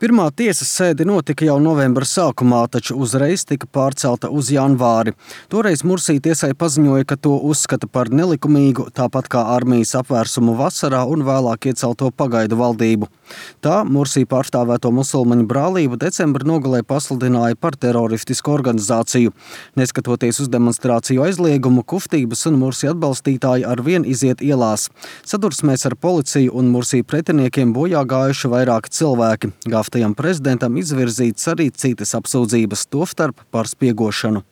Pirmā tiesas sēde notika jau novembra sākumā, taču uzreiz tika pārcelta uz janvāri. Toreiz Mursī tiesai paziņoja, ka to uzskata par nelikumīgu, tāpat kā armijas apvērsumu vasarā un vēlāk iecelto pagaidu valdību. Tā Mursī pārstāvēto musulmaņu brālību decembra nogalē pasludināja par teroristisku organizāciju. Neskatoties uz demonstrāciju aizliegumu, Kuftības un Mursī atbalstītāji arvien iziet ielās. Sadursmēs ar policiju un Mursī pretiniekiem bojā gājuši vairāki cilvēki. Gaftajam prezidentam izvirzītas arī citas apsūdzības, tostarp par spiegošanu.